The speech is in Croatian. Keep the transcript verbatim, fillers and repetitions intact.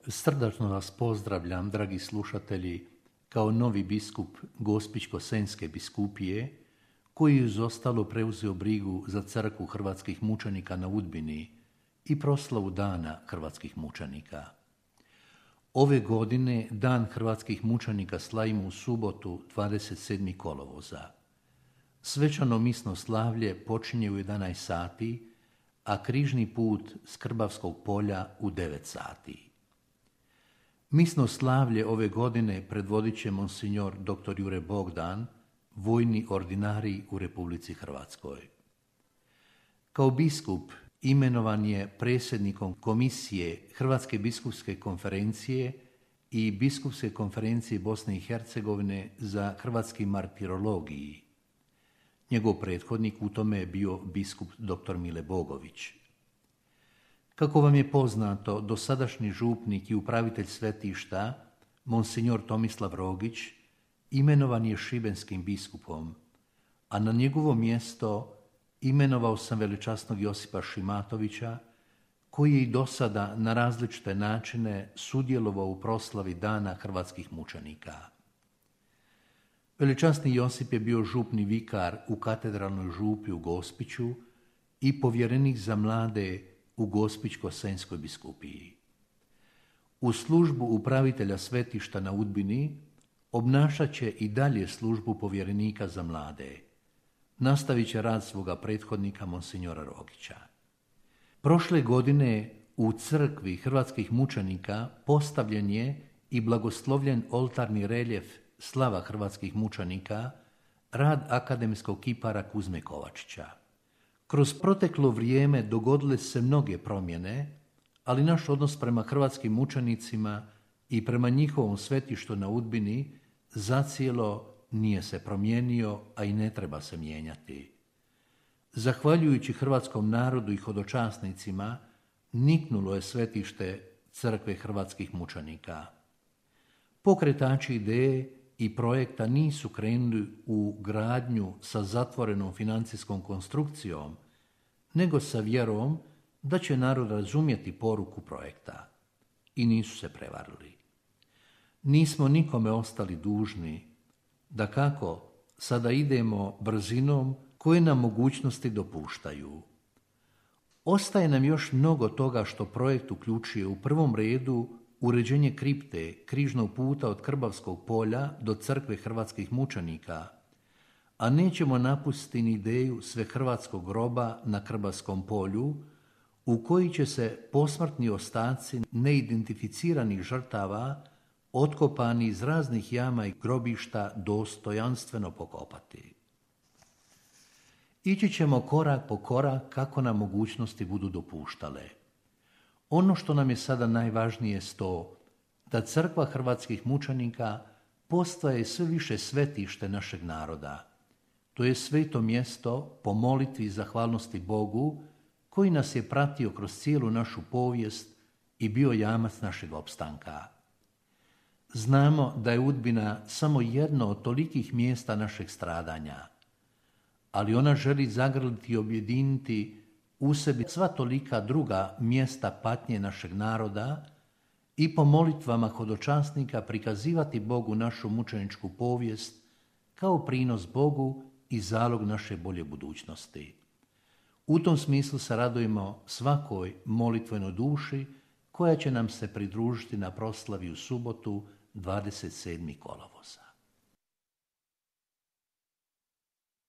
Srdačno vas pozdravljam, dragi slušatelji, kao novi biskup Gospićko-senjske biskupije, koji uz ostalo preuzeo brigu za crkvu hrvatskih mučenika na Udbini i proslavu Dana hrvatskih mučenika. Ove godine Dan hrvatskih mučenika slavimo u subotu dvadeset sedmog kolovoza. Svečano misno slavlje počinje u jedanaest sati, a križni put s Krbavskog polja u devet sati. Misno slavlje ove godine predvodit će monsignor doktor Jure Bogdan, vojni ordinarij u Republici Hrvatskoj. Kao biskup imenovan je predsjednikom Komisije Hrvatske biskupske konferencije i Biskupske konferencije Bosne i Hercegovine za hrvatski martirologiji. Njegov prethodnik u tome je bio biskup doktor Mile Bogović. Kako vam je poznato, dosadašnji župnik i upravitelj svetišta, monsignor Tomislav Rogić, imenovan je šibenskim biskupom, a na njegovo mjesto imenovao sam veličasnog Josipa Šimatovića, koji je i do sada na različite načine sudjelovao u proslavi Dana hrvatskih mučenika. Veličasni Josip je bio župni vikar u katedralnoj župi u Gospiću i povjerenik za mlade u Gospićko-senjskoj biskupiji. U službu upravitelja svetišta na Udbini obnašat će i dalje službu povjerenika za mlade. Nastavit će rad svoga prethodnika monsignora Rogića. Prošle godine u crkvi hrvatskih mučenika postavljen je i blagoslovljen oltarni reljef Slava hrvatskih mučenika, rad akademskog kipara Kuzme Kovačića. Kroz proteklo vrijeme dogodile se mnoge promjene, ali naš odnos prema hrvatskim mučenicima i prema njihovom svetištu na Udbini zacijelo nije se promijenio, a i ne treba se mijenjati. Zahvaljujući hrvatskom narodu i hodočasnicima, niknulo je svetište crkve hrvatskih mučenika. Pokretači ideje i projekta nisu krenuli u gradnju sa zatvorenom financijskom konstrukcijom, nego sa vjerom da će narod razumjeti poruku projekta. I nisu se prevarili. Nismo nikome ostali dužni, da kako sada idemo brzinom koje nam mogućnosti dopuštaju. Ostaje nam još mnogo toga što projekt uključuje u prvom redu uređenje kripte križnog puta od Krbavskog polja do crkve hrvatskih mučenika, a nećemo napustiti ni ideju svehrvatskog groba na Krbavskom polju, u koji će se posmrtni ostaci neidentificiranih žrtava otkopani iz raznih jama i grobišta dostojanstveno pokopati. Ići ćemo korak po korak kako nam mogućnosti budu dopuštale. Ono što nam je sada najvažnije je to da crkva hrvatskih mučenika postaje sve više svetište našeg naroda. To je sveto mjesto po molitvi i zahvalnosti Bogu, koji nas je pratio kroz cijelu našu povijest i bio jamac našeg opstanka. Znamo da je Udbina samo jedno od tolikih mjesta našeg stradanja, ali ona želi zagrliti i objediniti u sebi sva tolika druga mjesta patnje našeg naroda i po molitvama hodočasnika prikazivati Bogu našu mučeničku povijest kao prinos Bogu i zalog naše bolje budućnosti. U tom smislu se radujemo svakoj molitvenoj duši koja će nam se pridružiti na proslavi u subotu dvadeset sedmog kolovoza.